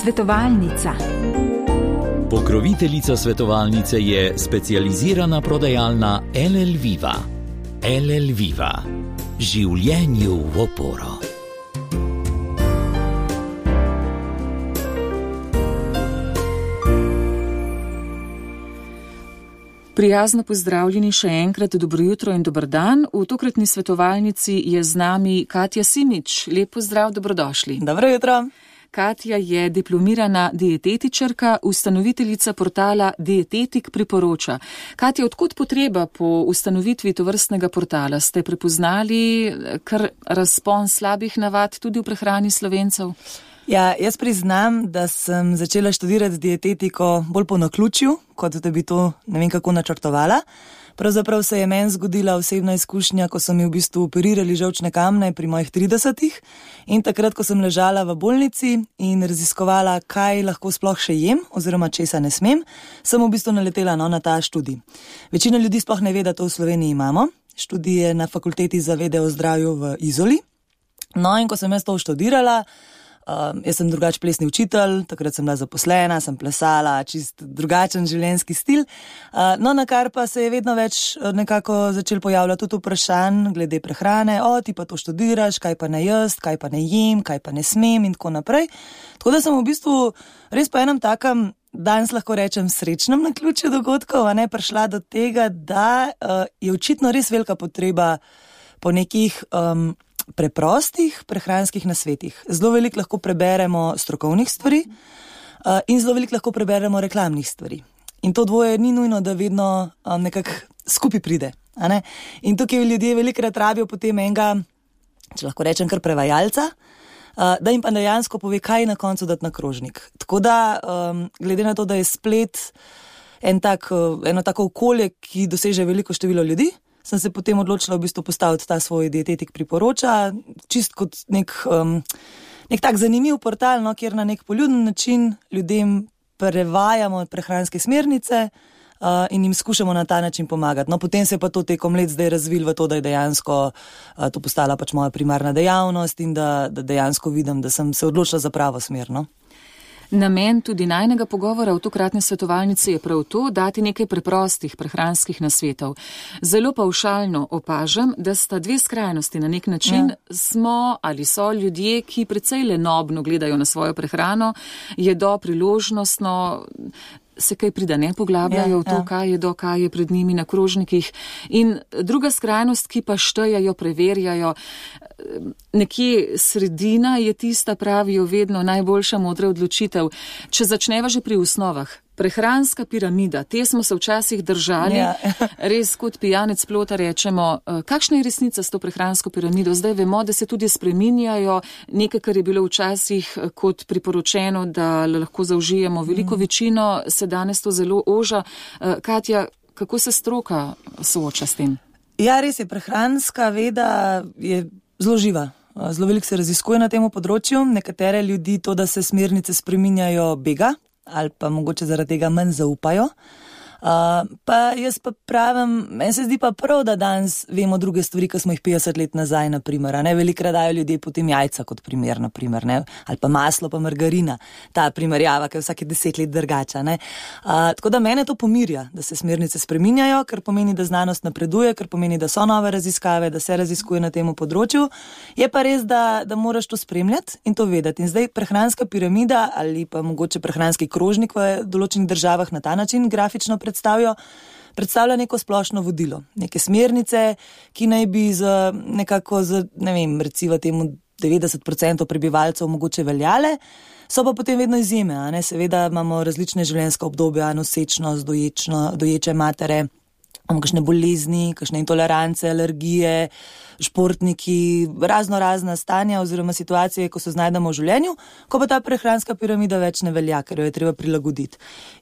Svetovalnica. Pokroviteljica svetovalnice je specializirana prodajalna LL Viva. LL Viva. Življenju v oporo. Prijazno pozdravljeni še enkrat, dobro jutro in dober dan. V tokratni svetovalnici je z nami Katja Simič. Lep pozdrav, dobrodošli. Dobro jutro. Katja je diplomirana dietetičarka, ustanoviteljica portala Dietetik priporoča. Katja, odkud potreba po ustanovitvi tovrstnega portala? Ste prepoznali kar razpon slabih navad tudi v prehrani Slovencev? Ja, jaz priznam, da sem začela študirati dietetiko bolj po naključju, kot da bi to ne vem kako načrtovala. Pravzaprav se je meni zgodila osebna izkušnja, ko so mi v bistvu operirali žolčne kamne pri mojih 30-ih in takrat, ko sem ležala v bolnici in raziskovala, kaj lahko sploh še jem oziroma česa ne smem, sem v bistvu naletela na ta študij. Večina ljudi sploh ne ve, da to v Sloveniji imamo. Študij je na Fakulteti za vede o zdravju v Izoli. No in ko sem jaz to študirala, jaz sem drugač plesni učitelj, takrat sem bila zaposlena, sem plesala, čist drugačen življenjski stil. No, na kar pa se je vedno več nekako začel pojavljati tudi vprašanj glede prehrane, ti pa to študiraš, kaj pa ne jaz, kaj pa ne jem, kaj pa ne smem in tako naprej. Tako da sem v bistvu res po enem takem, danes lahko rečem srečnem naključju dogodkov, prišla do tega, da je očitno res velika potreba po nekih preprostih prehranskih nasvetih. Zelo veliko lahko preberemo strokovnih stvari in zelo veliko lahko preberemo reklamnih stvari. In to dvoje ni nujno, da vedno nekako skupaj pride. In tukaj ljudje velikokrat rabijo potem enega, če lahko rečem kar prevajalca, da jim pa dejansko pove, kaj na koncu dati na krožnik. Tako da, glede na to, da je splet eno tako okolje, ki doseže veliko število ljudi, sem se potem odločila v bistvu postaviti ta svoj Dietetik priporoča, čist kot nek tak zanimiv portal, kjer na nek poljuden način ljudem prevajamo prehranske smernice in jim skušamo na ta način pomagati. No, potem se je pa to tekom let zdaj razvil v to, da je dejansko to postala pač moja primarna dejavnost in da dejansko vidim, da sem se odločila za pravo smer, no. Namen tudi najnega pogovora v tokratni svetovalnici je prav to, dati nekaj preprostih prehranskih nasvetov. Zelo pavšalno opažam, da sta dve skrajnosti na nek način. Smo ali so ljudje, ki precej lenobno gledajo na svojo prehrano, jedo priložnostno, se kaj prida ne poglabljajo v to, kaj je pred njimi na krožnikih. In druga skrajnost, ki pa štejejo, preverjajo, nekje sredina je tista, pravijo vedno, najboljša modra odločitev. Če začneva že pri osnovah, prehranska piramida, te smo se včasih držali, res kot pijanec plota rečemo, kakšna je resnica s to prehransko piramido? Zdaj vemo, da se tudi spreminjajo, nekaj, kar je bilo včasih kot priporočeno, da lahko zaužijemo veliko večino, se danes to zelo oža. Katja, kako se stroka sooča s tem? Ja, res je, prehranska veda je zelo živa. Zelo veliko se raziskuje na tem področju. Nekatere ljudi to, da se smernice spreminjajo, bega ali pa mogoče zaradi tega manj zaupajo. Pa jaz pa pravim, meni se zdi pa prav, da danes vemo druge stvari, ki smo jih 50 let nazaj, naprimer. Velikokrat dajo ljudje potem jajca kot primer, naprimer, ali pa maslo pa margarina. Ta primerjava, ki je vsake 10 let drugača. Tako da mene to pomirja, da se smernice spreminjajo, ker pomeni, da znanost napreduje, ker pomeni, da so nove raziskave, da se raziskuje na tem področju. Je pa res, da moraš to spremljati in to vedeti. In zdaj prehranska piramida ali pa mogoče prehranski krožnik v določenih državah na ta način grafično predstavlja neko splošno vodilo, neke smernice, ki naj bi recimo temu 90% prebivalcev mogoče veljale, so pa potem vedno izjeme, Seveda imamo različne življenjska obdobja, nosečnost, doječe matere, imamo kakšne bolezni, kakšne intolerance, alergije, športniki, razna stanja oziroma situacije, ko se znajdemo v življenju, ko pa ta prehranska piramida več ne velja, ker jo je treba prilagoditi.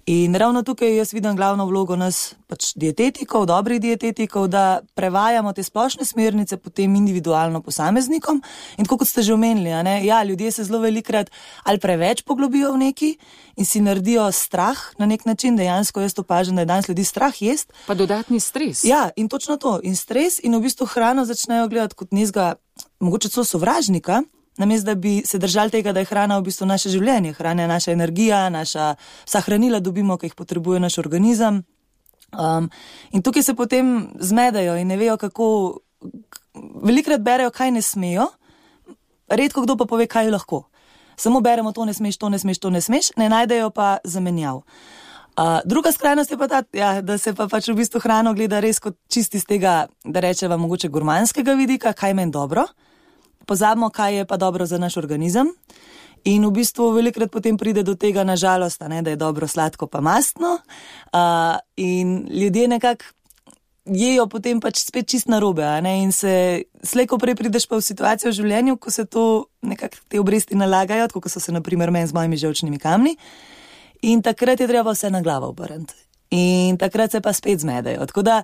In ravno tukaj jaz vidim glavno vlogo nas pač dietetikov, dobrih dietetikov, da prevajamo te splošne smernice potem individualno posameznikom. In tako kot ste že omenili, ljudje se zelo velikokrat ali preveč poglobijo v neki in si naredijo strah na nek način, dejansko jaz opažam, da je danes ljudi strah jest. Pa dodatni stres. Ja, in točno to. In stres in v bistvu hrano začnejo gledati kot nekega, mogoče celo sovražnika, namesto da bi se držali tega, da je hrana v bistvu naše življenje, hrana je naša energija, vsa hranila dobimo, ki jih potrebuje naš organizem. In tukaj se potem zmedajo in ne vejo, kako, velikrat berejo, kaj ne smejo, redko kdo pa pove, kaj lahko. Samo beremo, to ne smeš, to ne smeš, to ne smeš, ne najdejo pa zamenjav. Druga skrajnost je pa ta, da se pa pač v bistvu hrano gleda res kot čisti z tega, da rečeva mogoče gurmanskega vidika, kaj meni dobro. Pozabimo, kaj je pa dobro za naš organizem. In v bistvu velikrat potem pride do tega, nažalost, da je dobro sladko pa mastno. In ljudje nekako jejo potem pač spet čist narobe. In se slej ko prej prideš pa v situacijo v življenju, ko se to nekako te obresti nalagajo, tako kot so se naprimer meni z mojimi žolčnimi kamni. In takrat je treba vse na glavo obrniti. In takrat se pa spet zmedajo. Tako da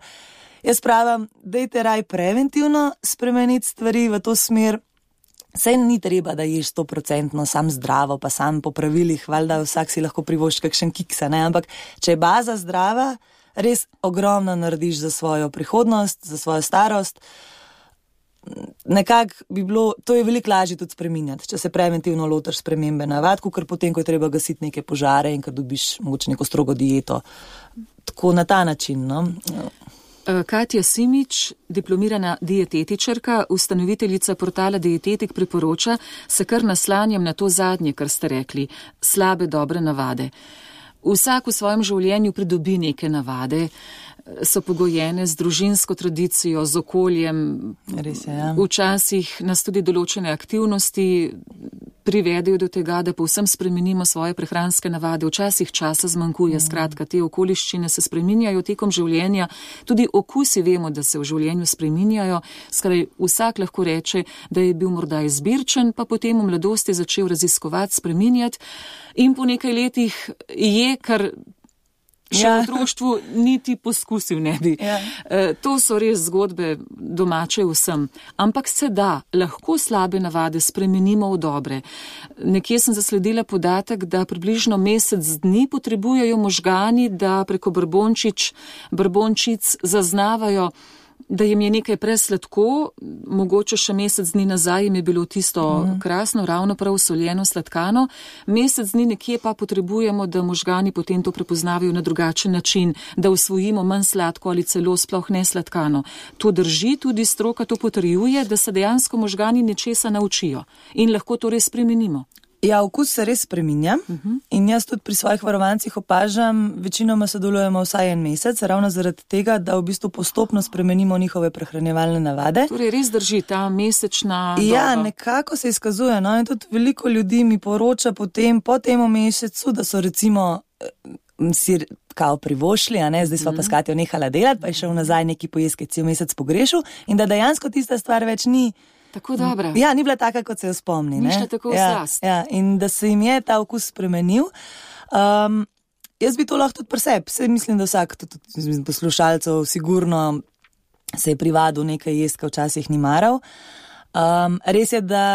jaz pravim, dajte raj preventivno spremeniti stvari v to smer. Saj ni treba, da ješ 100% sam zdravo, pa sam po pravilih, valjda vsak si lahko privošči kakšen kiksa, ampak če je baza zdrava, res ogromno narediš za svojo prihodnost, za svojo starost. Nekako bi bilo, to je veliko lažje tudi spreminjati, če se preventivno lotiš spremembe navad, ker potem, ko je treba gasiti neke požare in ko dobiš mogoče neko strogo dieto. Tako na ta način, no. Katja Simič, diplomirana dietetičarka, ustanoviteljica portala Dietetik, priporoča, se kar naslanjam na to zadnje, kar ste rekli, slabe dobre navade. Vsak v svojem življenju pridobi neke navade, so pogojene z družinsko tradicijo, z okoljem. Res je, ja. Včasih nas tudi določene aktivnosti privedejo do tega, da povsem spremenimo svoje prehranske navade. Včasih časa zmanjkuje, skratka, te okoliščine se spreminjajo tekom življenja. Tudi okusi vemo, da se v življenju spreminjajo. Skraj, vsak lahko reče, da je bil morda izbirčen, pa potem v mladosti začel raziskovati, spreminjati in po nekaj letih je, kar še v otroštvu niti poskusil ne bi. To so res zgodbe domače vsem. Ampak se da, lahko slabe navade spremenimo v dobre. Nekje sem zasledila podatek, da približno mesec dni potrebujejo možgani, da preko brbončic zaznavajo, da jim je nekaj presladko, mogoče še mesec dni nazaj jim je bilo tisto krasno, ravno prav soljeno, sladkano. Mesec dni nekje pa potrebujemo, da možgani potem to prepoznavajo na drugačen način, da usvojimo manj sladko ali celo sploh ne sladkano. To drži, tudi stroka to potrjuje, da se dejansko možgani nečesa naučijo in lahko to res spremenimo. Ja, okus se res spreminja in jaz tudi pri svojih varovancih opažam, večinoma sodelujemo vsaj en mesec, ravno zaradi tega, da v bistvu postopno spremenimo njihove prehranjevalne navade. Torej res drži ta mesečna doba. Ja, nekako se izkazuje, no, in tudi veliko ljudi mi poroča potem, po temu mesecu, da so recimo si kao privošli, zdaj sva pa s Katjo nehala delati, pa je šel nazaj neki pojesti, cel mesec pogrešil in da dejansko tista stvar več ni tako dobra. Ja, ni bila taka, kot se jo spomni. Ni šla tako slast. Ja, in da se jim je ta okus spremenil. Jaz bi to lahko tudi pri sebi. Saj mislim, da vsak tudi poslušalcev sigurno se je privadil nekaj jesti, ko včasih ni maral. Res je, da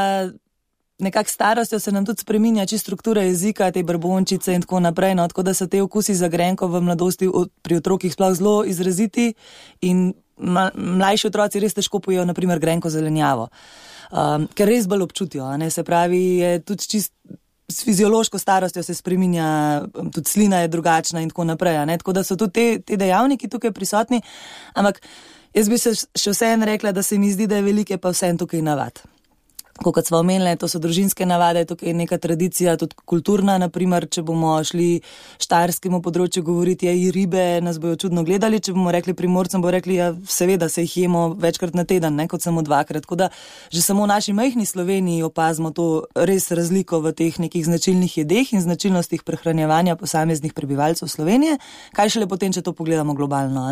nekak starostjo se nam tudi spreminja čisto struktura jezika, te brbončice in tako naprej, no, tako da so te okusi za grenko v mladosti pri otrokih sploh zelo izraziti in mlajši otroci res težko pojejo, naprimer, grenko zelenjavo, ker res bolj občutijo, se pravi, je tudi čisto s fiziološko starostjo se spreminja, tudi slina je drugačna in tako naprej, tako da so tudi te dejavniki tukaj prisotni, ampak jaz bi se še vseeno rekla, da se mi zdi, da je velike pa vseeno tukaj navad. Kot smo omenili, to so družinske navade, tukaj je neka tradicija, tudi kulturna, naprimer, če bomo šli štajerskemu področju govoriti, i ribe nas bojo čudno gledali, če bomo rekli Primorcem, bojo rekli, ja, seveda se jih jemo večkrat na teden, kot samo dvakrat, tako da že samo v naši majhni Sloveniji opazimo to res razliko v teh nekih značilnih jedeh in značilnostih prehranjevanja posameznih prebivalcev Slovenije, kaj šele potem, če to pogledamo globalno,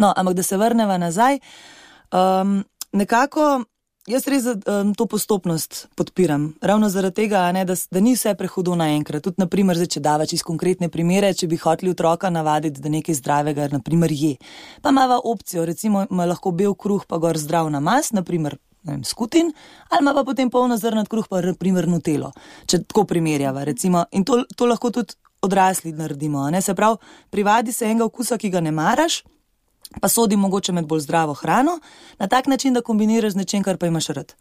No, ampak da se vrneva nazaj, nekako jaz res to postopnost podpiram. Ravno zaradi tega, da ni vse prehudo naenkrat. Tudi, naprimer, če dava čisto konkretne primere, če bi hoteli otroka navaditi, da nekaj zdravega, naprimer, je. Pa imava opcijo, recimo, ima lahko bel kruh, pa gor zdrav namaz, naprimer, skutin, ali ima pa potem polnozrnat kruh, pa naprimer nutelo, če tako primerjava, recimo. In to lahko tudi odrasli naredimo. Se pravi, privadi se enega okusa, ki ga ne maraš, pa sodi mogoče med bolj zdravo hrano, na tak način, da kombiniraš z nečem, kar pa imaš rad.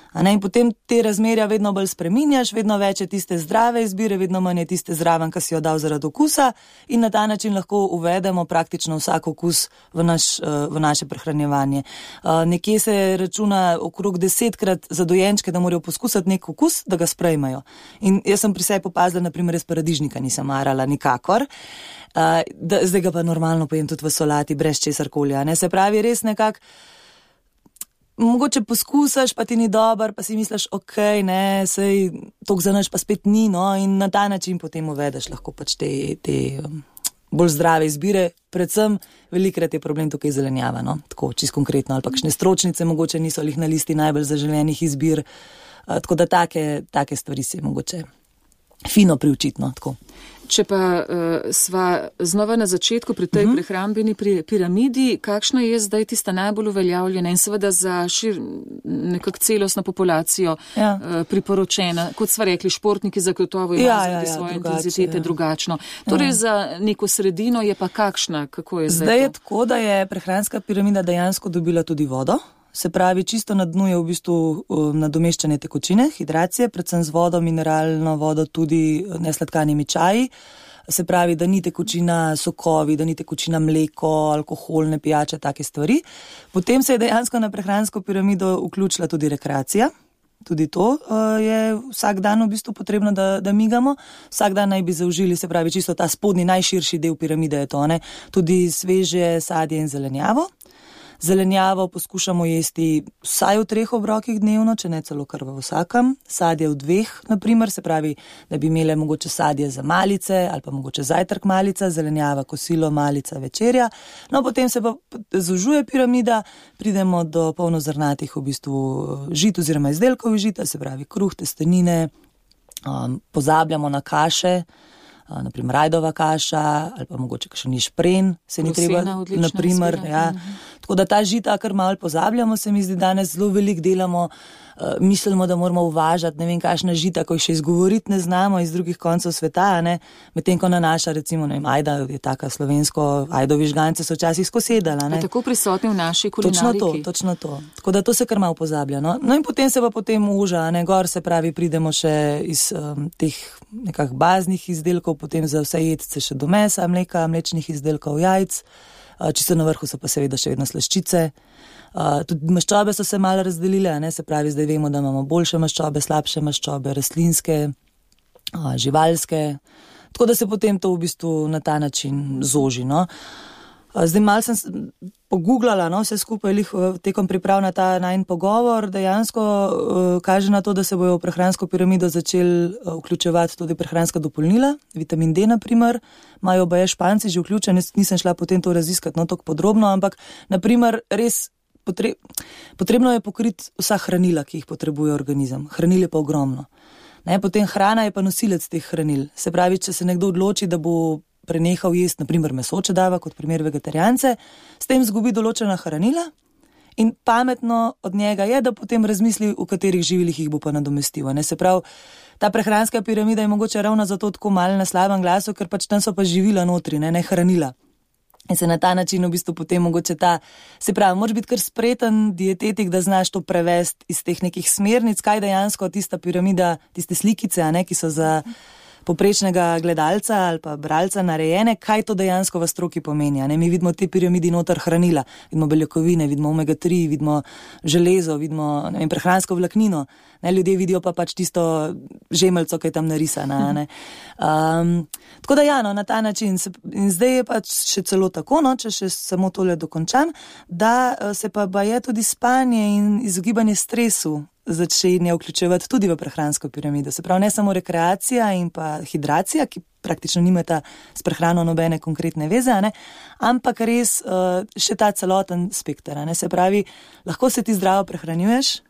In potem te razmerja vedno bolj spreminjaš, vedno več je tiste zdrave izbire, vedno manj je tiste zraven, ki si jo dal zaradi okusa in na ta način lahko uvedemo praktično vsak okus v naše prehranjevanje. Nekje se računa okrog 10-krat za dojenčke, da morajo poskusiti nek okus, da ga sprejmajo. In jaz sem pri sebi opazila, naprimer, jaz paradižnika nisem marala nikakor, zdaj ga pa normalno pojem tudi v solati, brez česarkoli. Se pravi, res nekako, mogoče poskusaš, pa ti ni dober, pa si misliš, okej, sej toliko za naš pa spet ni, in na ta način potem uvedeš lahko pač te bolj zdrave izbire. Predvsem velikrat je problem tukaj zelenjava, tako čisto konkretno, ali pa kakšne stročnice mogoče niso lih na listi najbolj zaželenih izbir, tako da take stvari se mogoče fino priučiti, tako. Če pa sva znova na začetku pri tej prehrambeni piramidi, kakšna je zdaj tista najbolj uveljavljena in seveda za nekak celostno populacijo priporočena, kot sva rekli, športniki zagotovo imajo svoje intenzitete drugačno. Torej za neko sredino je pa kakšna, kako je zdaj? Zdaj je tako, da je prehranska piramida dejansko dobila tudi vodo. Se pravi, čisto na dnu je v bistvu nadomeščanje tekočine, hidracije, predvsem z vodo, mineralno vodo, tudi nesladkanimi čaji. Se pravi, da ni tekočina sokovi, da ni tekočina mleko, alkoholne pijače, take stvari. Potem se je dejansko na prehransko piramido vključila tudi rekreacija. Tudi to je vsak dan v bistvu potrebno, da migamo. Vsak dan naj bi zaužili, se pravi, čisto ta spodnji, najširši del piramide je to, tudi sveže sadje in zelenjavo. Zelenjavo poskušamo jesti vsaj v 3 obrokih dnevno, če ne celo kar v vsakem. Sadje v 2, naprimer, se pravi, da bi imele mogoče sadje za malice ali pa mogoče zajtrk malica, zelenjava, kosilo, malica, večerja. Potem se pa zožuje piramida, pridemo do polnozrnatih v bistvu žit oziroma izdelkov žita, se pravi kruh, testenine, pozabljamo na kaše, naprimer rajdova kaša ali pa mogoče kakšen ješpren, se ni treba, naprimer, Tako da ta žita, kar malo pozabljamo, se mi zdi danes zelo veliko delamo, mislimo, da moramo uvažati, ne vem, kakšna žita, ko jih še izgovoriti ne znamo iz drugih koncev sveta, medtem ko na naša, recimo, ajda je taka slovensko, ajdovi žgance so včasih skosedala. Tako prisotni v naši kulinariki. Točno to. Tako da to se kar malo pozablja. In potem se pa potem uža, gor se pravi, pridemo še iz teh nekak baznih izdelkov, potem za vse jedce še do mesa, mleka, mlečnih izdelkov, jajc. Čisto na vrhu so pa seveda še vedno slaščice. Tudi maščobe so se malo razdelile, se pravi, zdaj vemo, da imamo boljše maščobe, slabše maščobe, rastlinske, živalske. Tako da se potem to v bistvu na ta način zoži. Zdaj malo sem pogooglala, vse skupaj tekom priprav na ta najin pogovor, dejansko kaže na to, da se bojo v prehransko piramido začeli vključevati tudi prehranska dopolnila, vitamin D naprimer, imajo baje Španci že vključen, nisem šla potem to raziskati tako podrobno, ampak naprimer res potrebno je pokriti vsa hranila, ki jih potrebuje organizem. Hranil je pa ogromno. Potem hrana je pa nosilec teh hranil. Se pravi, če se nekdo odloči, da bo prenehal jesti, naprimer meso, če dava kot primer vegetarijance, s tem zgubi določena hranila in pametno od njega je, da potem razmisli, v katerih živilih jih bo pa nadomestil. Se pravi, ta prehranska piramida je mogoče ravno zato tako malo na slabem glasu, ker pač tam so pa živila notri, ne hranila. In se na ta način v bistvu potem mogoče se pravi, moraš biti kar spreten dietetik, da znaš to prevesti iz teh nekih smernic, kaj dejansko tista piramida, tiste slikice, ki so za poprečnega gledalca ali pa bralca narejene, kaj to dejansko v stroki pomeni. Mi vidimo te piramidi noter hranila, vidimo beljakovine, vidimo omega-3, vidimo železo, vidimo prehransko vlaknino. Ljudje vidijo pa pač tisto žemelco, ki je tam narisana. Tako da na ta način. In zdaj je pač še celo tako, če še samo tole dokončam, da se pa je tudi spanje in izogibanje stresu začenja vključevati tudi v prehransko piramido. Se pravi, ne samo rekreacija in pa hidracija, ki praktično nimata s prehrano nobene konkretne veze, ampak res še ta celoten spekter. Se pravi, lahko se ti zdravo prehranjuješ,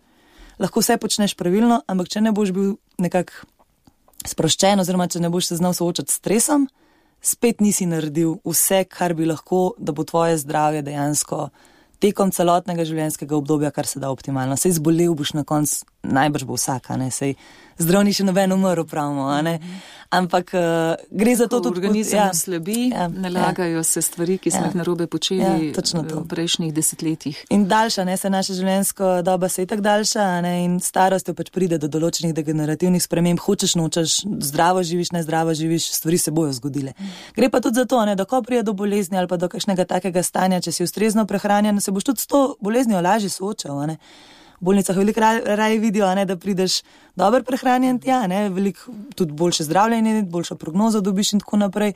lahko vse počneš pravilno, ampak če ne boš bil nekako sproščen oziroma če ne boš se znal soočati s stresom, spet nisi naredil vse, kar bi lahko, da bo tvoje zdravje dejansko tekom celotnega življenjskega obdobja, kar se da optimalno. Sej zbolel boš na koncu, najbrž bo vsaka, sej zdrav ni še noben umrl, pravimo, Ampak gre za to, da organizem slabi, nalagajo se stvari, ki smo jih narobe počeli v prejšnjih desetletjih. In daljša, se naša življenjska doba se je tako daljša, in starostjo pač pride do določenih degenerativnih sprememb, hočeš, nočeš, zdravo živiš, ne zdravo živiš, stvari se bojo zgodile. Gre pa tudi za to, da ko pride do bolezni ali pa do kakšnega takega stanja, če si ustrezno prehranjen, se boš tudi s to boleznijo lažje soočal, V bolnicah veliko raje vidijo, da prideš dobro prehranjen tja, veliko tudi boljše zdravljenje, boljšo prognozo dobiš in tako naprej.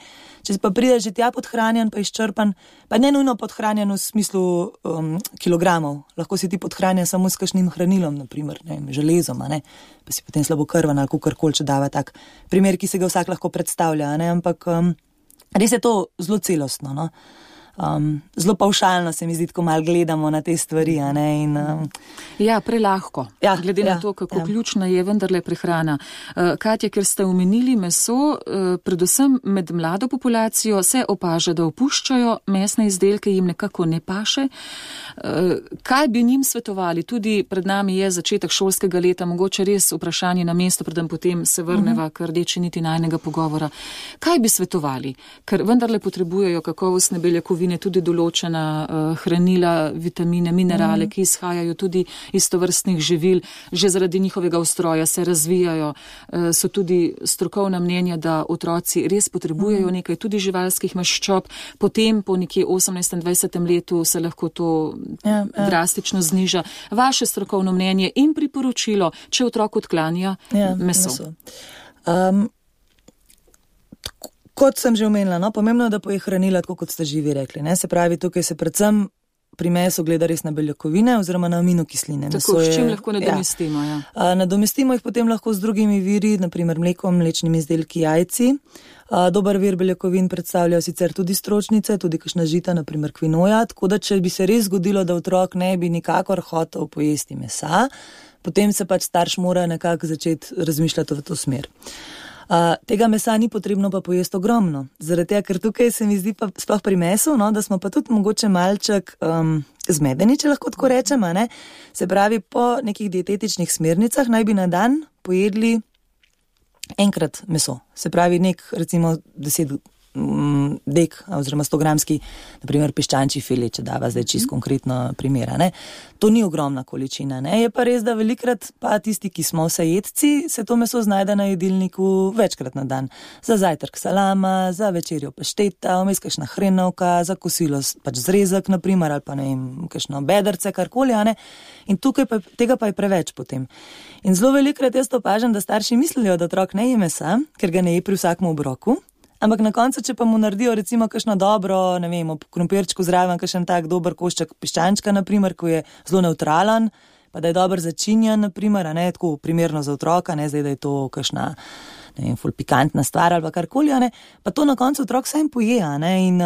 Če pa prideš že tja podhranjen, pa izčrpan, pa ne nujno podhranjen v smislu kilogramov, lahko si ti podhranjen samo s kakšnim hranilom, naprimer, železom, pa si potem slabokrvan ali kakorkoli, če dava tak primer, ki se ga vsak lahko predstavlja, ampak res je to zelo celostno, zelo pavšalno se mi zdi, ko malo gledamo na te stvari, Ja, prelahko. Glede na to, kako ključna je vendarle prehrana. Katja, ker ste omenili meso, predvsem med mlado populacijo se opaža, da opuščajo mesne izdelke, jim nekako ne paše. Kaj bi njim svetovali? Tudi pred nami je začetek šolskega leta, mogoče res vprašanje na mesto, predem potem se vrneva k rdeči niti najnega pogovora. Kaj bi svetovali? Ker vendarle potrebujejo kakovostne beljakovine, tudi določena hranila, vitamine, minerale, ki izhajajo tudi iz tovrstnih živil, že zaradi njihovega ustroja se razvijajo. So tudi strokovna mnenja, da otroci res potrebujejo nekaj tudi živalskih maščob, potem po nekje 18-20 letu se lahko to drastično zniža. Vaše strokovno mnenje in priporočilo, če otrok odklanja meso. Kot sem že omenila, pomembno je, da poje hranila, tako kot ste živi rekli. Se pravi, tukaj se predvsem pri mesu gleda res na beljakovine oziroma na aminokisline. Tako, s čim lahko nadomestimo? Nadomestimo jih potem lahko z drugimi viri, naprimer mlekom, mlečnimi izdelki, jajci. Dober vir beljakovin predstavljajo sicer tudi stročnice, tudi kakšna žita, naprimer kvinoja, tako da če bi se res zgodilo, da otrok ne bi nikakor hotel pojesti mesa, potem se pač starš mora nekako začeti razmišljati v to smer. Tega mesa ni potrebno pa pojesti ogromno, zaradi tega, ker tukaj se mi zdi pa sploh pri mesu, da smo pa tudi mogoče malček zmedeni, če lahko tako rečem, Se pravi, po nekih dietetičnih smernicah naj bi na dan pojedli enkrat meso. Se pravi, recimo 10 dek oziroma 100 gramski, naprimer piščančji file, če dava zdaj čisto konkretno primera. To ni ogromna količina. Je pa res, da velikrat pa tisti, ki smo vsejedci, se to meso znajde na jedilniku večkrat na dan. Za zajtrk salama, za večerjo pašteta, vmes kakšna hrenovka, za kosilo pač zrezek, naprimer, ali pa kakšno bedrce, karkoli, In tukaj tega pa je preveč potem. In zelo velikrat jaz opažam, da starši mislijo, da otrok ne je mesa, ker ga ne je pri vsakem obroku. Ampak na koncu, če pa mu naredijo recimo kakšno dobro, ob krompirčku zraven, kakšen tak dober košček piščančka, naprimer, ko je zelo nevtralen, pa da je dober začinjen, naprimer, tako primerno za otroka, zdaj, da je to kakšna, ful pikantna stvar ali pa karkoli, pa to na koncu otrok vsem poje, in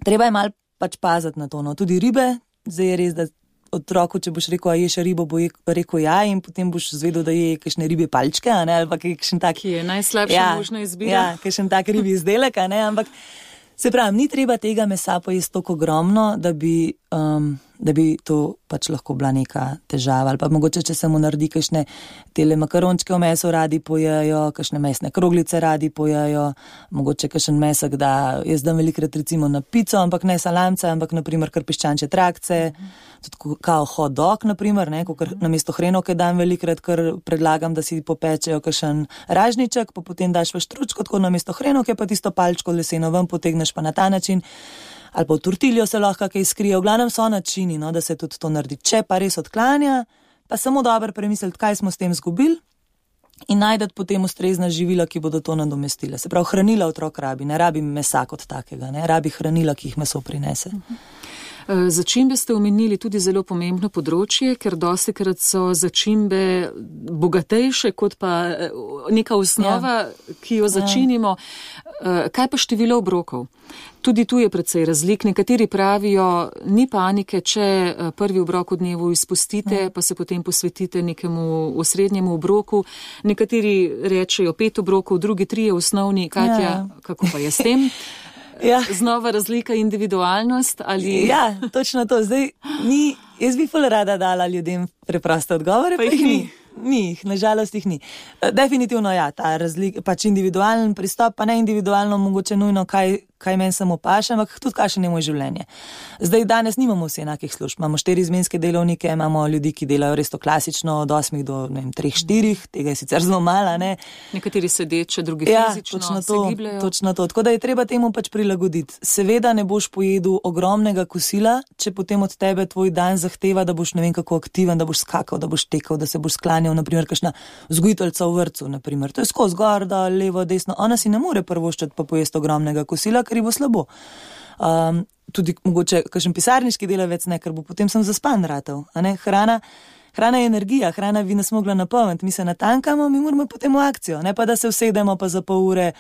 treba je malo pač paziti na to, Tudi ribe, zdaj je res, da otroku, če boš rekel, a ješ ribo, bo rekel ja, in potem boš zvedel, da je kakšne ribje palčke, ali pa kakšen tak... Ki je najslabša možna izbira. Ja, kakšen tak ribji izdelek, ampak se pravi, ni treba tega mesa pojesti toliko ogromno, da bi to pač lahko bila neka težava. Ali pa mogoče, če se mu naredi kakšne tele makarončke v meso radi pojejo, kakšne mesne kroglice radi pojejo, mogoče kakšen mesek, da jaz dam velikrat recimo na pico, ampak ne salamce, ampak naprimer kar piščančje trakce, tudi kao hot dog, naprimer, namesto hrenovke dam velikrat, ker predlagam, da si popečejo kakšen ražniček, pa potem daš v štručko, tako namesto hrenovke, pa tisto palčko leseno ven potegneš pa na ta način. Ali pa v tortiljo se lahko kaj skrije, v glavnem so načini, da se tudi to naredi. Če pa res odklanja, pa samo dobro premisliti, kaj smo s tem zgubili in najdete potem ustrezna živila, ki bodo to nadomestile. Se pravi, hranila otrok rabi, ne rabi mesa kot takega, rabi hranila, ki jih meso prinese. Začimbe ste omenili tudi zelo pomembno področje, ker dostikrat so začimbe bogatejše kot pa neka osnova, ki jo začinimo. Kaj pa število obrokov? Tudi tu je precej razlik. Nekateri pravijo, ni panike, če prvi obrok v dnevu izpustite, pa se potem posvetite nekemu osrednjemu obroku. Nekateri rečejo 5 obrokov, drugi 3 osnovni. Katja, kako pa je s tem? Znova razlika, individualnost ali... Ja, točno to. Zdaj, jaz bi ful rada dala ljudem preproste odgovore, pa jih ni. nažalost jih ni. Definitivno ja, ta pač individualen pristop, pa ne individualno mogoče nujno, kaj meni samo paše, ampak tudi kakšno je moje življenje. Zdaj, danes nimamo vsi enakih služb. Imamo 4 izmenske delovnike, imamo ljudi, ki delajo res to klasično od 8 do 3-4, tega je sicer zelo malo, ne. Nekateri sedeče, drugi fizično se gibljajo. Točno to. Tako da je treba temu pač prilagoditi. Seveda ne boš pojedel ogromnega kosila, če potem od tebe tvoj dan zahteva, da boš ne vem kako aktiven, da boš skakal, da boš tekel, da se boš sklanjal, naprimer kakšna vzgojiteljca v vrtcu, naprimer. To je skozi gor, da levo, desno. Ona si ne more prvoščati pa pojesti ogromnega kosila, ker ji bo slabo. Tudi mogoče kakšen pisarniški delavec ne, ker bo potem sem zaspan ratal. Hrana je energija, hrana bi nas mogla napolniti, mi se natankamo, mi moramo potem v akcijo, ne pa da se usedemo pa za pol ure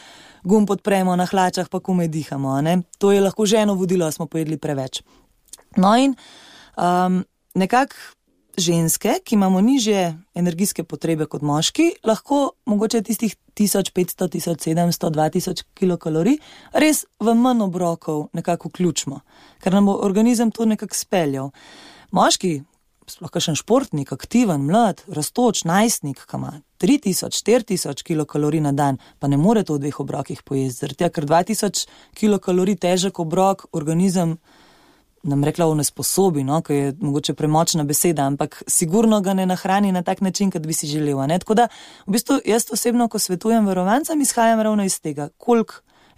gumb podpremo na hlačah pa komaj dihamo. To je lahko že eno vodilo, smo pojedli preveč. No in nekako ženske, ki imamo nižje energijske potrebe kot moški, lahko mogoče tistih 1500, 1700, 2000 kilokalorij res v manj obrokov nekako vključimo, ker nam bo organizem to nekako speljal. Moški, sploh kakšen športnik, aktiven, mlad, rastoč, najstnik, ki ima 3000, 4000 kilokalorij na dan, pa ne more to v 2 obrokih pojesti, zaradi tega, ker 2000 kilokalorij težek obrok organizem nam rekla onesposobi, ki je mogoče premočna beseda, ampak sigurno ga ne nahrani na tak način, kot bi si želel. Tako da, v bistvu, jaz osebno, ko svetujem varovancem, izhajam ravno iz tega, koliko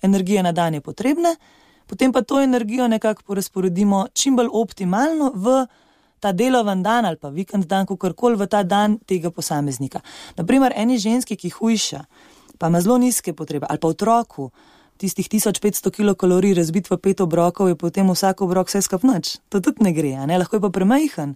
energije na dan je potrebne, potem pa to energijo nekako porazporedimo čim bolj optimalno v ta delovan dan ali pa vikend dan, kakorkoli v ta dan tega posameznika. Naprimer, eni ženski, ki hujša, pa ima zelo nizke potrebe, ali pa otroku, tistih 1500 kilokalorij razbit v 5 obrokov, je potem vsak obrok vse skup nič. To tudi ne gre, lahko je pa premajhen.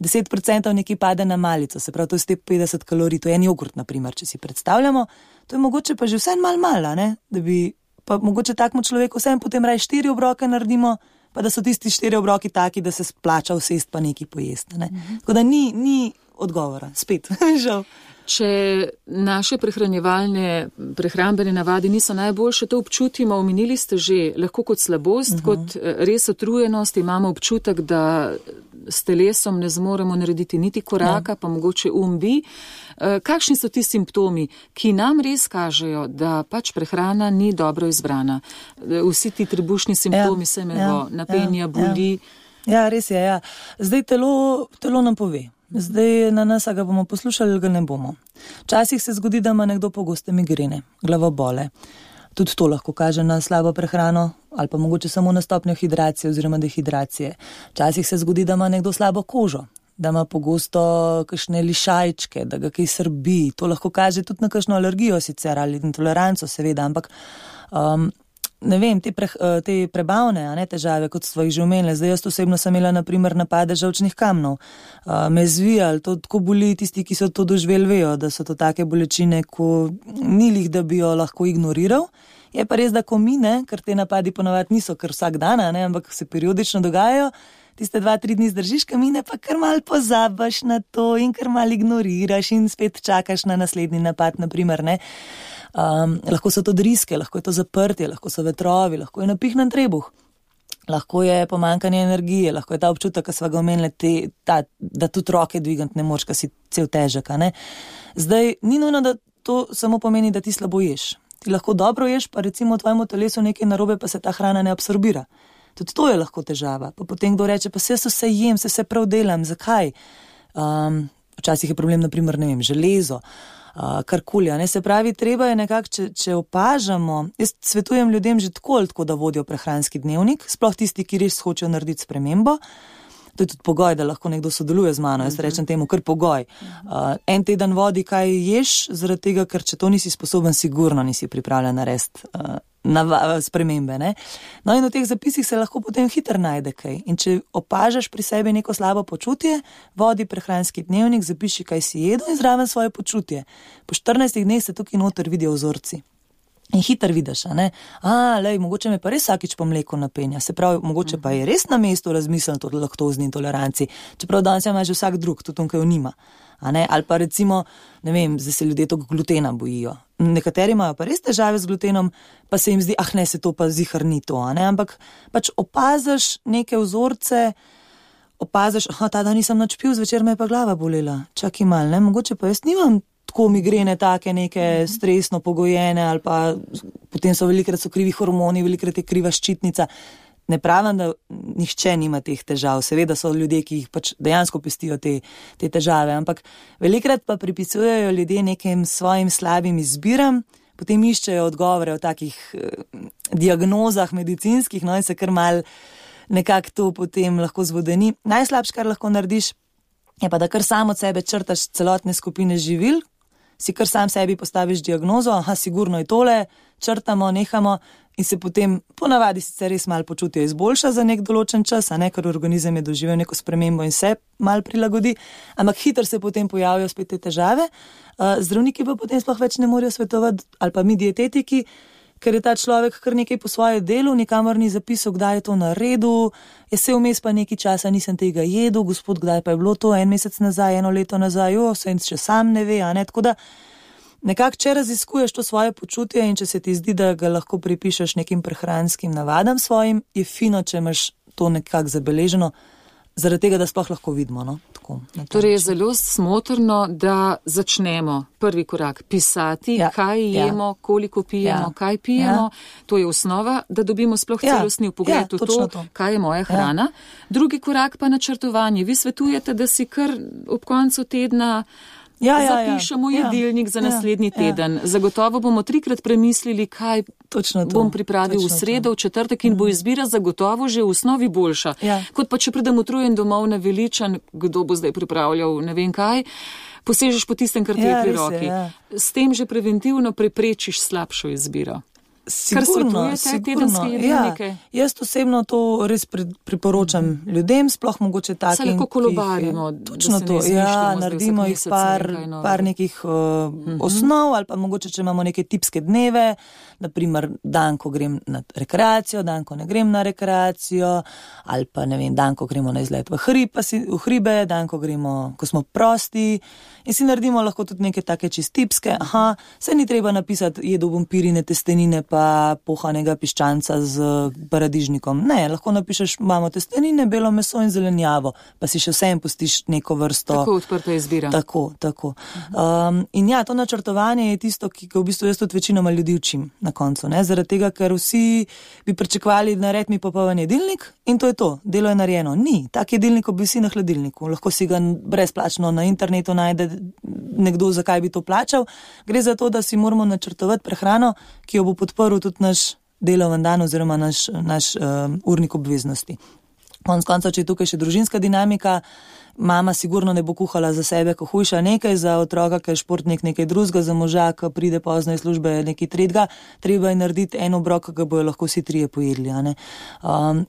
10% nekaj pade na malico, se pravi, to je 150 kalorij, to je en jogurt, naprimer, če si predstavljamo, to je mogoče pa že vsem malo, da bi pa mogoče takmu človeku vsem potem raje 4 obroke naredimo, pa da so tisti 4 obroki taki, da se splača vsest pa nekaj pojesti. Tako da ni odgovora, spet, žal. Če naše prehrambene navade niso najboljše, to občutimo, omenili ste že, lahko kot slabost, kot res utrujenost, imamo občutek, da s telesom ne zmoremo narediti niti koraka, pa mogoče bi. Kakšni so ti simptomi, ki nam res kažejo, da pač prehrana ni dobro izbrana? Vsi ti trebušni simptomi se imejo, napenja, boli. Ja, res je, ja. Zdaj telo nam pove. Zdaj na nas, a ga bomo poslušali, ali ga ne bomo. Včasih se zgodi, da ima nekdo pogoste migrene, glavobole. Tudi to lahko kaže na slabo prehrano ali pa mogoče samo na stopnjo hidracije oziroma dehidracije. Včasih se zgodi, da ima nekdo slabo kožo, da ima pogosto kakšne lišajčke, da ga kaj srbi. To lahko kaže tudi na kakšno alergijo sicer ali intoleranco seveda, ampak ne vem, te prebavne težave, kot so jih že omenili. Zdaj jaz osebno sem imela naprimer napade žalčnih kamnov. Me zvijali, to tako boli, tisti, ki so to doživeli, vejo, da so to take bolečine, ko ni lih, da bi jo lahko ignoriral. Je pa res, da ko mine, ker te napadi ponavadi niso kar vsak dan, ampak se periodično dogajajo, tiste 2-3 dni zdržiš kamine, pa kar mal pozabaš na to in kar mal ignoriraš in spet čakaš na naslednji napad, naprimer, ne. Lahko so to driske, lahko je to zaprtje, lahko so vetrovi, lahko je napihnen trebuh, lahko je pomanjkanje energije, lahko je ta občutek, ki sva ga omenili, da tudi roke dvigant ne moč, ka si cel težek, ne. Zdaj, ni nujno, da to samo pomeni, da ti slabo ješ. Ti lahko dobro ješ, pa recimo v tvojemu telesu nekaj narobe, pa se ta hrana ne absorbira. Tudi to je lahko težava. Pa potem kdo reče, pa se jem, se prav delam, zakaj? Včasih je problem, naprimer, ne vem, železo, karkoli, ne, se pravi, treba je nekako, če opažamo, jaz svetujem ljudem že tako, da vodijo prehranski dnevnik, sploh tisti, ki res hočejo narediti spremembo. To je tudi pogoj, da lahko nekdo sodeluje z mano, jaz rečem temu kar pogoj. En teden vodi, kaj ješ, zaradi tega, ker če to nisi sposoben, sigurno nisi pripravljen narediti spremembe, ne. No in v teh zapisih se lahko potem hitro najde kaj. In če opažaš pri sebi neko slabo počutje, vodi prehranski dnevnik, zapiši, kaj si jedel in zraven svoje počutje. Po 14 dneh se tukaj noter vidijo vzorci. In hitro vidiš, ne? Mogoče me pa res vsakič po mleku napenja. Se pravi, mogoče pa je res na mestu razmisliti o laktozni intoleranci. Čeprav danes ima že vsak drug, tudi on, kaj jo nima. Ali pa recimo, ne vem, zdaj se ljudje tog glutena bojijo. Nekateri imajo pa res težave z glutenom, pa se jim zdi, se to pa zihar ni to, Ampak pač opaziš neke vzorce, opaziš, ta dan nisem nič pil, zvečer me je pa glava bolela. Čakaj mal, ne, mogoče pa jaz nimam tako migrene take neke stresno pogojene ali pa potem so velikrat so krivi hormoni, velikrat je kriva ščitnica. Ne pravim, da nihče nima teh težav, seveda so ljudje, ki jih pač dejansko pestijo te težave, ampak velikrat pa pripisujejo ljudje nekim svojim slabim izbiram, potem iščejo odgovore o takih diagnozah medicinskih, no in se kar mal nekako to potem lahko zvodeni. Najslabše, kar lahko narediš, je pa, da kar sam od sebe črtaš celotne skupine živil, si kar sam sebi postaviš diagnozo, sigurno je tole, črtamo, nehamo in se potem ponavadi sicer res malo počutje izboljša za nek določen čas, ker organizem je doživel neko spremembo in se malo prilagodi, ampak hitro se potem pojavijo spet te težave. Zdravniki pa potem sploh več ne morejo svetovati, ali pa mi dietetiki, ker je ta človek kar nekaj po svoje delu, nikamor ni zapisal, kdaj je to naredil, se vmes pa nekaj časa nisem tega jedel, gospod, kdaj pa je bilo to, 1 mesec nazaj, 1 leto nazaj, se še sam ne ve, tako da nekako, če raziskuješ to svoje počutje in če se ti zdi, da ga lahko pripišeš nekim prehranskim navadam svojim, je fino, če imaš to nekako zabeleženo, zaradi tega, da sploh lahko vidimo, no? Tako, torej je zelo smotrno, da začnemo prvi korak pisati, kaj jemo, koliko pijemo, kaj pijemo. To je osnova, da dobimo sploh celostni vpogled v to, kaj je moja hrana. Drugi korak pa načrtovanje. Vi svetujete, da si kar ob koncu tedna zapišemo jedilnik za naslednji teden. Zagotovo bomo 3-krat premislili, kaj bom pripravil v sredo, v četrtek in bo izbira zagotovo že v osnovi boljša. Kot pa če pridem utrujen domov naveličan, kdo bo zdaj pripravljal ne vem kaj, posežeš po tistem, kar ti je pri roki. S tem že preventivno preprečiš slabšo izbiro. Sigurno. Jaz osebno to res priporočam ljudem, sploh mogoče takim. Se lahko kolobarimo. Točno to, naredimo jih par nekih osnov, ali pa mogoče, če imamo neke tipske dneve, naprimer dan, ko grem na rekreacijo, dan, ko ne grem na rekreacijo, ali pa ne vem, dan, ko gremo na izlet v hribe, dan, ko smo prosti in si naredimo lahko tudi neke take čist tipske. Se ni treba napisati, jedu bom pirine testenine pa pohanega piščanca z paradižnikom. Ne, lahko napišeš, imamo testenine, belo meso in zelenjavo, pa si še vsem pustiš neko vrsto. Tako odprta izbira. Tako. In to načrtovanje je tisto, ki ga v bistvu jaz tudi večinoma ljudi učim na koncu, ne? Zaradi tega, ker vsi bi pričakovali, nared mi popoln jedilnik in to je to, delo je narejeno. Ni, tak jedilnik obvisi na hladilniku, lahko si ga brezplačno na internetu najde nekdo, zakaj bi to plačal. Gre za to, da si moramo načrtovati prehrano, ki jo bo podprl tudi naš deloven dan oziroma naš urnik obveznosti. Konec koncev, če je tukaj še družinska dinamika, mama sigurno ne bo kuhala za sebe, ko hujša nekaj, za otroka, ki je športnik nekaj drugega, za moža, ki pride pozno iz službe nekaj tretjega, treba je narediti en obrok, ki ga bojo lahko vsi 3 pojedli.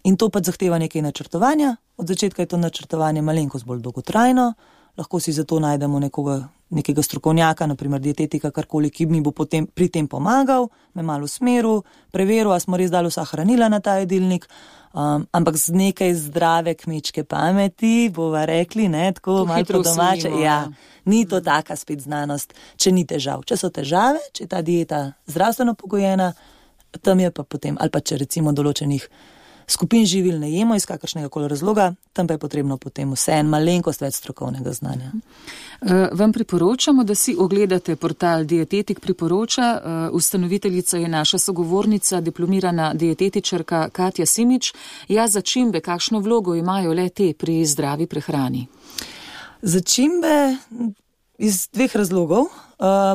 In to pa zahteva nekaj načrtovanja. Od začetka je to načrtovanje malenkost bolj dolgotrajno, lahko si zato najdemo nekega strokovnjaka, naprimer dietetika, karkoli, ki mi bo potem pri tem pomagal, me malo usmeril, preveril, a smo res dali vsa hranila na ta jedilnik, ampak z nekaj zdrave kmečke pameti, bova rekli, tako malo po domače. Ni to taka spet znanost, če ni težav. Če so težave, če je ta dieta zdravstveno pogojena, tam je pa potem, ali pa če recimo določenih skupin živil ne jemo iz kakršnega koli razloga, tam pa je potrebno potem vseeno malenkost več strokovnega znanja. Vam priporočamo, da si ogledate portal Dietetik priporoča. Ustanoviteljica je naša sogovornica, diplomirana dietetičarka Katja Simič. Začimbe, kakšno vlogo imajo le te pri zdravi prehrani? Začimbe iz 2 razlogov.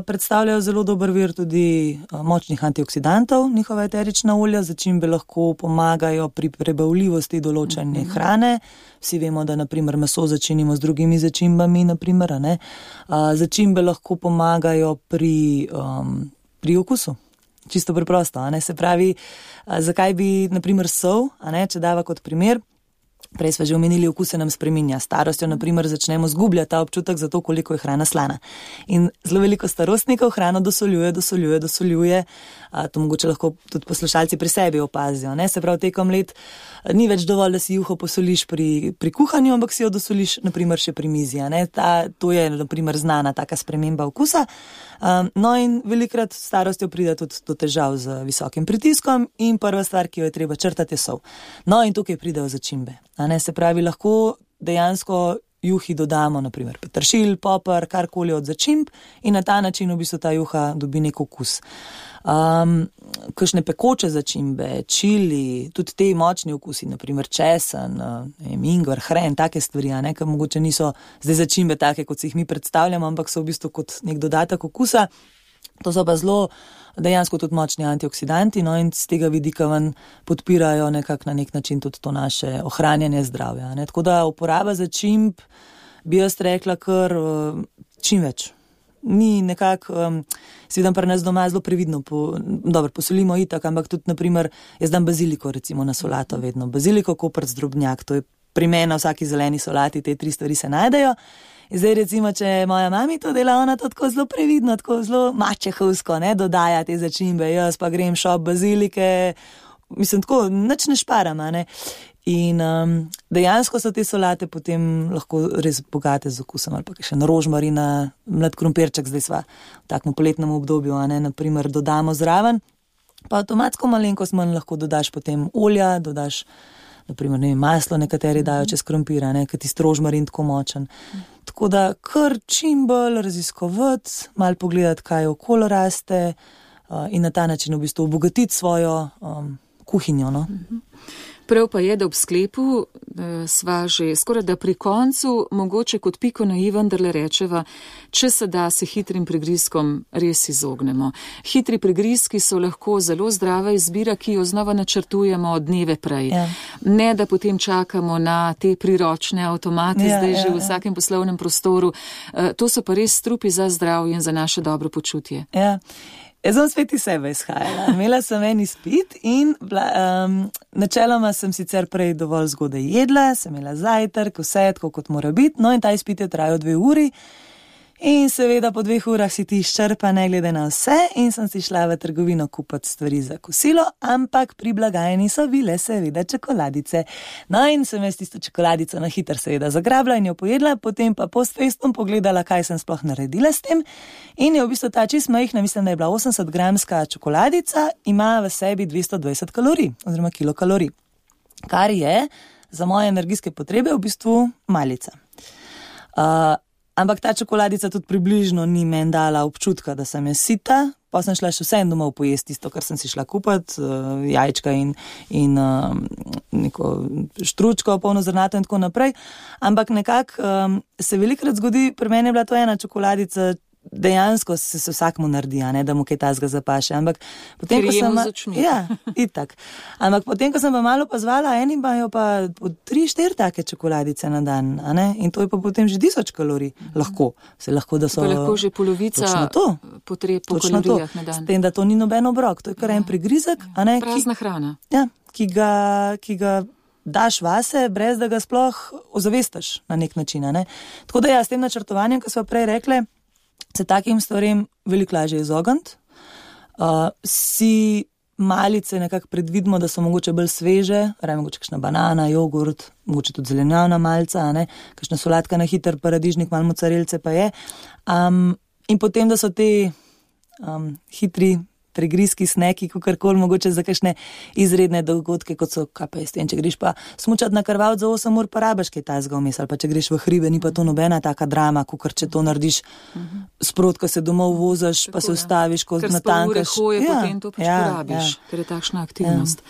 Predstavljajo zelo dober vir tudi močnih antioksidantov, njihova eterična olja. Začimbe lahko pomagajo pri prebavljivosti določene hrane. Vsi vemo, da naprimer meso začinimo z drugimi začimbami, naprimer, Začimbe lahko pomagajo pri okusu. Čisto preprosto, Se pravi, zakaj bi naprimer sol, če dava kot primer, prej smo že omenili, okus se nam spreminja. Starostjo, naprimer, začnemo zgubljati ta občutek za to, koliko je hrana slana. In zelo veliko starostnikov hrano dosoljuje. To mogoče lahko tudi poslušalci pri sebi opazijo. Se pravi, tekom let ni več dovolj, da si juho posoliš pri kuhanju, ampak si jo dosoliš, naprimer, še pri mizi. To je, naprimer, znana taka sprememba okusa. No in velikrat s starostjo pride tudi do težav z visokim pritiskom in prva stvar, ki jo je treba črtati, je sol. No in tukaj pridejo začimbe. Se pravi, lahko dejansko juhi dodamo, naprimer peteršilj, poper, karkoli od začimb in na ta način v bistvu ta juha dobi nek okus. Kakšne pekoče začimbe, čili, tudi te močni okusi, naprimer česen, ingver, hren, take stvari, ker mogoče niso zdaj začimbe take, kot si jih mi predstavljamo, ampak so v bistvu kot nek dodatek okusa. To so pa zelo dejansko tudi močni antioksidanti, no, in z tega vidika ven podpirajo nekako na nek način tudi to naše ohranjanje zdravja. Tako da uporaba začimb bi jaz rekla kar čim več. Ni nekako, seveda pri nas doma zelo previdno, posolimo itak, ampak tudi, naprimer, jaz dam baziliko recimo na solato vedno. Baziliko, koprc, drobnjak, to je pri meni na vsaki zeleni solati, te 3 stvari se najdejo. In zdaj recimo, če moja mami to dela, ona to tako zelo previdno, tako zelo mačehovsko, dodaja te začimbe, jaz pa grem šop bazilike, mislim tako, nič ne šparam, In dejansko so te solate potem lahko res bogate z okusom, ali pa še na rožmarina, mlad krompirček, zdaj sva v takem poletnem obdobju, naprimer dodamo zraven, pa avtomatsko malenkost manj lahko dodaš potem olja, dodaš naprimer maslo, nekateri dajo čez krompir, ker tisti rožmarin tako močen. Tako da kar čim bolj raziskovati, malo pogledati, kaj okolo raste in na ta način v bistvu obogatiti svojo kuhinjo, no. Prav pa je, da ob sklepu sva že skoraj da pri koncu, mogoče kot piko na i vendarle rečeva, če se da se hitrim prigrizkom res izognemo. Hitri prigrizki so lahko zelo zdrava izbira, ki jo znova načrtujemo dneve prej. Ja. Ne, da potem čakamo na te priročne avtomate, zdaj že v vsakem poslovnem prostoru. To so pa res strupi za zdravje in za naše dobro počutje. Ja. Jaz sem spet iz sebe izhajala. Imela sem en izpit in načeloma sem sicer prej dovolj zgodaj jedla, sem imela zajtrk, vse tako kot mora biti, no in ta izpit je trajal 2 uri in seveda po 2 urah si ti izčrpa ne glede na vse in sem si šla v trgovino kupiti stvari za kosilo, ampak pri blagajni so bile seveda čokoladice. No in sem jaz tisto čokoladico na hiter seveda zagrabila in jo pojedla, potem pa post festum pogledala, kaj sem sploh naredila s tem in je v bistvu ta čist majhna, mislim, da je bila 80-gramska čokoladica, ima v sebi 220 kalorij oziroma kilokalorij, kar je za moje energijske potrebe v bistvu malica. Ampak ta čokoladica tudi približno ni meni dala občutka, da sem je sita, pa sem šla še vsem domov pojesti tisto, kar sem si šla kupiti, jajčka in neko štručko, polnozrnato in tako naprej. Ampak nekako se velikrat zgodi, pri meni je bila to ena čokoladica, dejansko se vsakmu naredi, da mu kaj tazga zapaše. Ampak potem, ko sem itak. Ampak potem, ko sem pa malo pozvala, eni imajo pa 3-4 take čokoladice na dan, in to je pa potem že 1000 kalorij. Lahko. Se lahko, da so... To je lahko že polovica potreb po kalorijah na dan. S tem, da to ni noben obrok. To je kar en prigrizek. Prazna hrana. Ja, ki ga daš vase, brez da ga sploh ozavestaš na nek način. Tako da s tem načrtovanjem, ko smo prej rekli, se takim stvarem veliko lažje izogniti. Si malice nekako predvidimo, da so mogoče bolj sveže, mogoče kakšna banana, jogurt, mogoče tudi zelenjavna malca, kakšna solatka na hiter, paradižnik, malo mocarelce pa je. In potem, da so te hitri prigrizki, sneki, kakorkoli mogoče za kakšne izredne dogodke, kot so KPS. Če greš pa smučati na krvavc za 8 ur, pa rabaš kaj tazga vmes, ali pa če greš v hribe, ni pa to nobena taka drama, kakor če to narediš sprot, ko se domov vozaš, pa se ustaviš, ko natankaš. Ker ure hoje, potem to porabiš, ker je takšna aktivnost.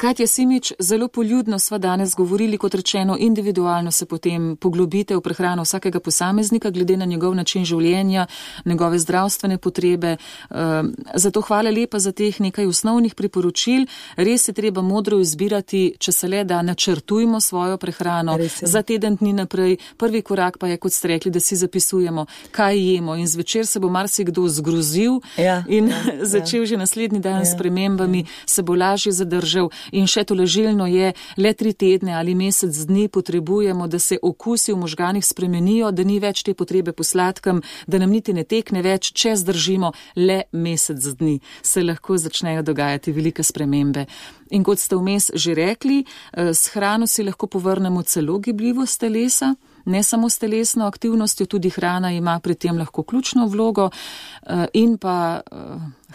Katja Simič, zelo poljudno sva danes govorili, kot rečeno, individualno se potem poglobite v prehrano vsakega posameznika, glede na njegov način življenja, njegove zdravstvene potrebe. Zato hvala lepa za teh nekaj osnovnih priporočil. Res je treba modro izbirati, če se le da načrtujmo svojo prehrano za teden dni naprej. Prvi korak pa je, kot ste rekli, da si zapisujemo, kaj jemo in zvečer se bo marsikdo zgrozil in začel že naslednji dan s spremembami, se bo lažje zadržal in še tolažilno je, le 3 tedne ali mesec dni potrebujemo, da se okusi v možganih spremenijo, da ni več te potrebe po sladkem, da nam niti ne tekne več, če zdržimo le mesec dni. Se lahko začnejo dogajati velike spremembe. In kot ste vmes že rekli, s hrano si lahko povrnemo celo gibljivost telesa, ne samo s telesno aktivnostjo, tudi hrana ima pri tem lahko ključno vlogo in pa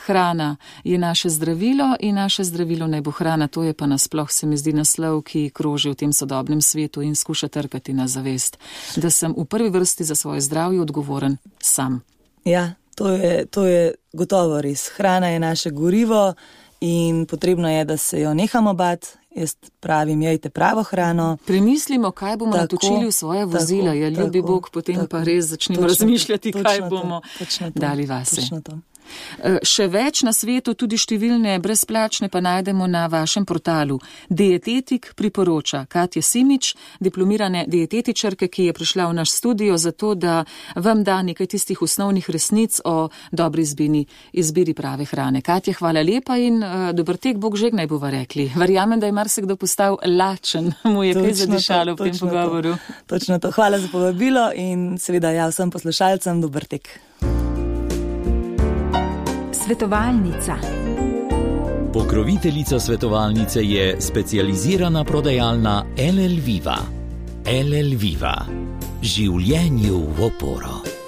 hrana je naše zdravilo in naše zdravilo naj bo hrana. To je pa nasploh, se mi zdi, naslov, ki kroži v tem sodobnem svetu in skuša trkati na zavest, da sem v prvi vrsti za svoje zdravje odgovoren sam. Ja, to je gotovo res. Hrana je naše gorivo in potrebno je, da se jo nehamo bati. Jaz pravim, jejte pravo hrano. Premislimo, kaj bomo natočili v svoje vozila. Ja, ljubi Bog, potem pa res začnemo razmišljati, kaj bomo dali vase. Še več na svetu, tudi številne brezplačne, pa najdemo na vašem portalu. Dietetik priporoča. Katja Simič, diplomirane dietetičarke, ki je prišla v naš studio zato, da vam da nekaj tistih osnovnih resnic o dobri izbiri prave hrane. Katja, hvala lepa in dober tek, Bog že naj bova rekli. Verjamem, da je marsikdo postal lačen, mu je kaj zadišalo v tem pogovoru. Točno to. Hvala za povabilo in seveda vsem poslušalcem dober tek. Svetovalnica. Pokroviteljica svetovalnice je specializirana prodajalna LL Viva. LL Viva. Življenju v oporo.